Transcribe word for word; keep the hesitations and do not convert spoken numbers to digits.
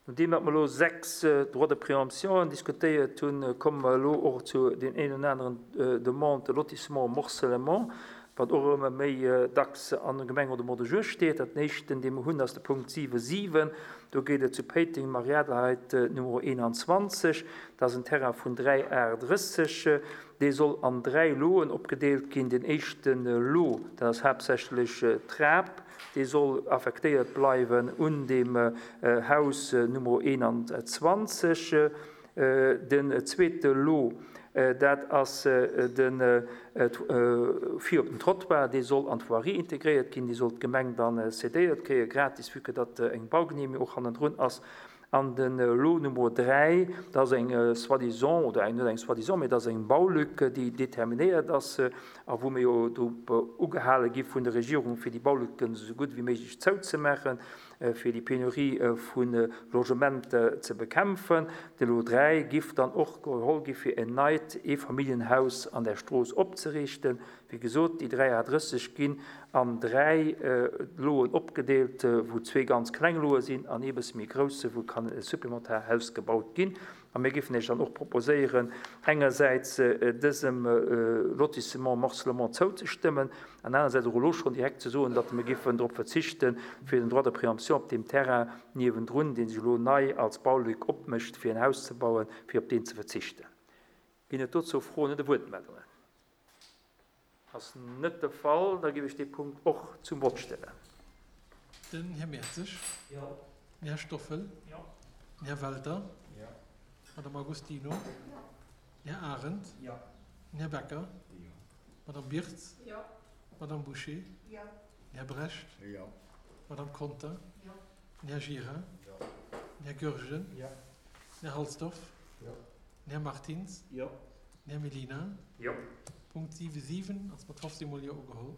Nodeem datt mer elo sechs Droits de préemption diskutéiert hunn, komme mer elo och zu deem een oder aneren Demande de lotissement, morcellement, wat och ëmmer méi dacks an der Gemeng oder Mont de Jour steet. Dat éischten, dee mer hunn, ass de Punkt siwe siwen. Do geet et zu Péiteng, Marie-Adelheid Numero eenanzwanzeg. Dat ass en Terrain vun dräi Ar drësseg. Dee soll an dräi Loen opgedeelt ginn. Deen éischte Lot, dat ass haaptsächlech d'Trap, dee soll affektéiert bleiwen un deem Haus Numero eenanzwanzeg. Den zweete Lot, dat ass de vir op den Trottoir, dee soll an d'Voirie integréiert ginn, dee soll d'Gemeng dann cédéiert kréien, gratis, vue que datt eng Baugenehmigung och hannendrun ass. An de Lot Nummer dräi, dat ass eng soi-disant, oder eng, net eng soi-disant, mee dat ass eng Baulück, déi determinéiert ass a wou mir jo drop ugehale gi vun der Regierung, fir déi Baulücken esou gutt wéi méiglech zouzemaachen, fir déi Penurie vu Logementer ze bekämpfen. De Lot dräi giff dann och geholl gi fir en neit Eefamilljenhaus an där Strooss opzeriichten. Wéi gesot, déi dräi A drësseg ginn an dräi Loen opgedeelt, wou zwee ganz kleng Loe sinn an ee bësse méi grousse, wou kann e supplementar Haus gebaut ginn. A mir géifen Iech dann och proposéieren, engersäits dësem Lotissement morcellement zouzestëmmen an anersäits och elo schonn direkt ze soen, datt mir géifen drop verzichten, fir den Droit de préemption op deem Terrain niewendrun, dee sech elo nei als Baulück opmécht, fir en Haus ze bauen, fir op deen ze verzichten. Ginn et dozou Froen oder Wuertmeldungen? Ass net de Fall. Da géif ech dee Punkt och zum Vott stellen. Den Här Mertzig. Jo. Den Här Stoffel. Jo. Den Här Welter. Jo. Madame Agostino. Jo. Den Här Arendt. Jo. Den Här Becker. Jo. Madame Birtz. Jo. Madame Bouché. Jo. Den Här Brecht. Jo. Madame Conter. Jo. Den Här Gira. Jo. Den Här Goergen. Jo. Den Här Halsdorf. Jo. Den Här Martins. Jo. Den Här Mellina. Jo. Punkt siwe siwen ass mat fofzéng mol Jo ugeholl.